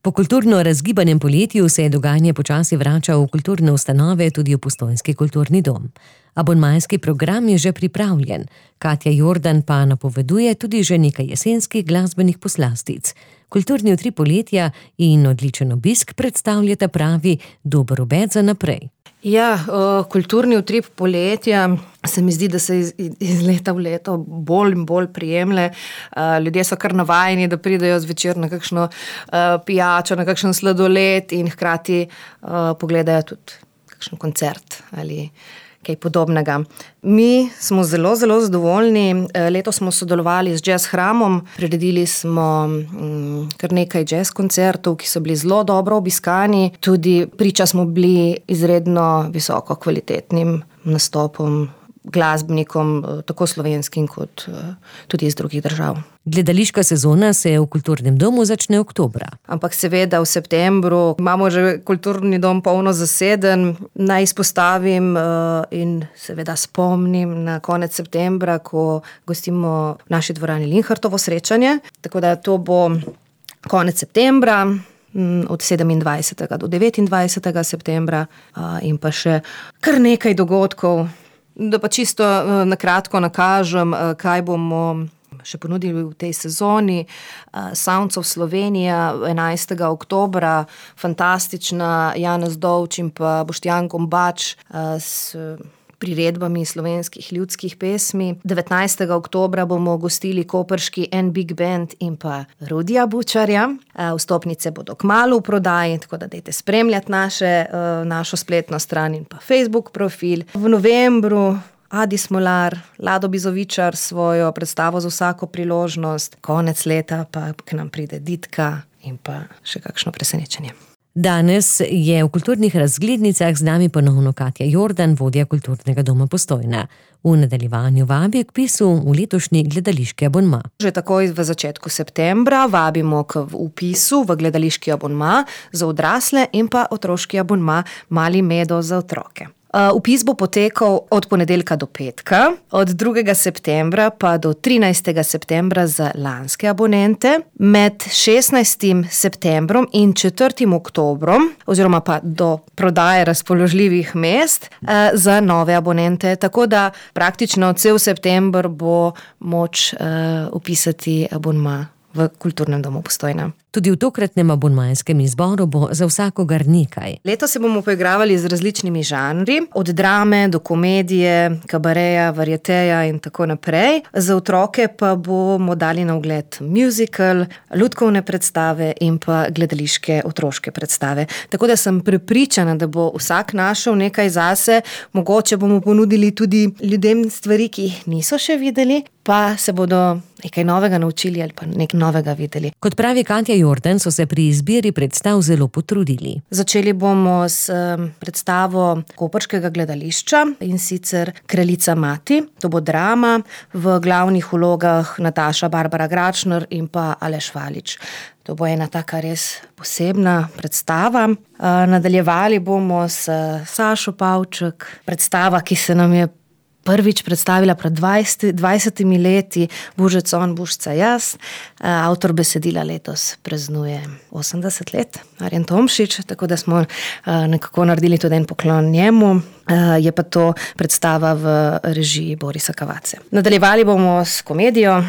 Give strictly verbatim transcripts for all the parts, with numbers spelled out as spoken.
Po kulturno razgibanem poletju se je dogajanje počasi vrača v kulturne ustanove, tudi v Postojnski kulturni dom. Abonmajski program je že pripravljen, Katja Jordan pa napoveduje tudi že nekaj jesenskih glasbenih poslastic. Kulturni utrip poletja in odličen obisk predstavljata pravi dober obet za naprej. Ja, kulturni utrip poletja se mi zdi, da se iz, iz leta v leto bolj in bolj prijemlje. Ljudje so kar navajeni, da pridejo zvečer na kakšno pijačo, na kakšen sladoled in hkrati pogledajo tudi kakšen koncert ali kaj podobnega. Mi smo zelo, zelo zadovoljni. Letos smo sodelovali z Jazz Hramom, priredili smo m, kar nekaj jazz koncertov, ki so bili zelo dobro obiskani. Tudi priča smo bili izredno visoko kvalitetnim nastopom, glasbenikom, tako slovenskim kot tudi iz drugih držav. Gledališka sezona se v kulturnem domu začne oktobra. Ampak seveda v septembru imamo že kulturni dom polno zaseden. Naj izpostavim in seveda spomnim na konec septembra, ko gostimo v naši dvorani Linhartovo srečanje. Tako da to bo konec septembra, od sedemindvajsetega do devetindvajsetega septembra in pa še kar nekaj dogodkov. Da pa čisto na kratko nakažem, kaj bomo še ponudili v tej sezoni. Sounds of Slovenija enajstega oktobra, fantastična Janez Dovč in pa Boštjan Gombač s priredbami slovenskih ljudskih pesmi. devetnajstega oktobra bomo gostili koprški En Big Band in pa Rudija Bučarja. Vstopnice bodo kmalu v prodaji, tako da dajte spremljati naše, našo spletno stran in pa Facebook profil. V novembru Adi Smolar, Lado Bizovičar svojo predstavo za vsako priložnost. Konec leta pa k nam pride Ditka in pa še kakšno presenečenje. Danes je v kulturnih razglednicah z nami ponovno Katja Jordan, vodja kulturnega doma Postojna. V nadaljevanju vabi k vpisu v letošnji gledališki abonma. Že takoj v začetku septembra vabimo k vpisu v gledališki abonma za odrasle in pa otroški abonma Mali Medo za otroke. Vpis bo potekal od ponedeljka do petka, od drugega septembra pa do trinajstega septembra za lanske abonente, med šestnajstim septembrom in četrtim oktobrom, oziroma pa do prodaje razpoložljivih mest za nove abonente, tako da praktično cel september bo moč vpisati abonma v kulturnem domu Postojna. Tudi v tokratnem abonmajskem izboru bo za vsakogar nekaj. Letos se bomo poigravali z različnimi žanri, od drame do komedije, kabareja, varieteja in tako naprej. Za otroke pa bomo dali na ogled musical, lutkovne predstave in pa gledališke otroške predstave. Tako da sem prepričana, da bo vsak našel nekaj zase, mogoče bomo ponudili tudi ljudem stvari, ki jih niso še videli, pa se bodo nekaj novega naučili ali pa nekaj novega videli. Kot pravi Katja Jordan, so se pri izbiri predstav zelo potrudili. Začeli bomo s predstavo koprškega gledališča in sicer Kraljica mati. To bo drama, v glavnih vlogah Nataša Barbara Gračner in pa Aleš Valič. To bo ena taka res posebna predstava. Nadaljevali bomo s Sašo Pavček, predstava, ki se nam je prvič predstavila pred dvajsetimi leti, Bužec on, Bužca jaz. Avtor besedila letos praznuje osemdeset let, Arjen Tomšič, tako da smo nekako naredili tudi en poklon njemu. Je pa to predstava v režiji Borisa Kavace. Nadaljevali bomo s komedijo,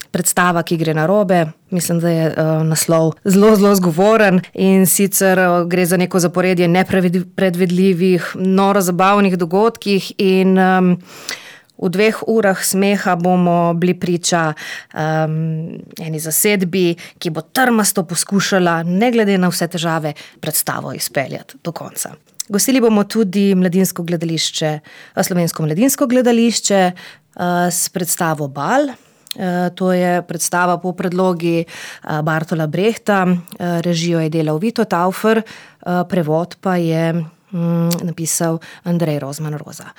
predstava, ki gre narobe. Mislim, da je uh, naslov zelo, zelo zgovoren in sicer uh, gre za neko zaporedje nepredvidljivih, noro zabavnih dogodkih in um, v dveh urah smeha bomo bili priča um, eni zasedbi, ki bo trmasto poskušala, ne glede na vse težave, predstavo izpeljati do konca. Gostili bomo tudi mladinsko gledališče, slovensko mladinsko gledališče uh, s predstavo Bal. To je predstava po predlogi Bartola Brehta, režijo je delal Vito Taufer, prevod pa je napisal Andrej Rozman Roza.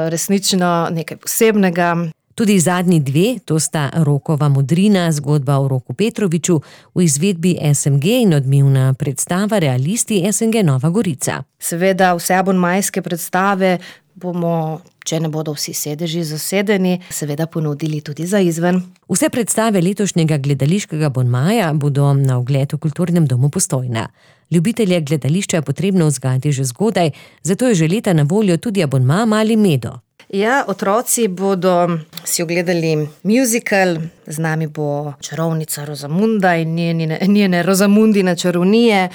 Resnično nekaj posebnega. Tudi zadnji dve, to sta Rokova modrina, zgodba o Roku Petroviču, v izvedbi S N G in odmevna predstava Realisti S N G Nova Gorica. Seveda vse abonmajske predstave bomo, če ne bodo vsi sedeži zasedeni, seveda ponudili tudi za izven. Vse predstave letošnjega gledališkega abonmaja bodo na ogled v Kulturnem domu Postojna. Ljubitelje gledališča je potrebno vzgajati že zgodaj, zato je že leta na voljo tudi abonma Mali Medo. Ja, otroci bodo si ogledali musical, z nami bo čarovnica Rozamunda in njene, njene Rozamundine čarovnije.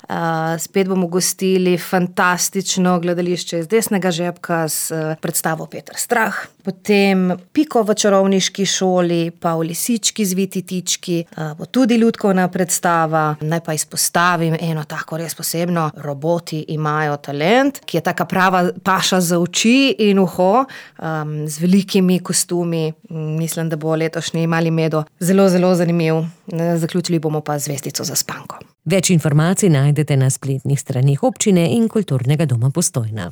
Spet bomo gostili fantastično gledališče iz desnega žepka s predstavo Peter Strah. Potem Piko v čarovniški šoli, pa v Lisički zviti tički, bo tudi ljudkovna predstava. Naj pa izpostavim eno tako res posebno, Roboti imajo talent, ki je taka prava paša za oči in uho, um, z velikimi kostumi. Mislim, da bo letošnji Mali Medo zelo, zelo zanimiv. Zaključili bomo pa zvezdico za spanko. Več informacij najdete na spletnih straneh občine in Kulturnega doma Postojna.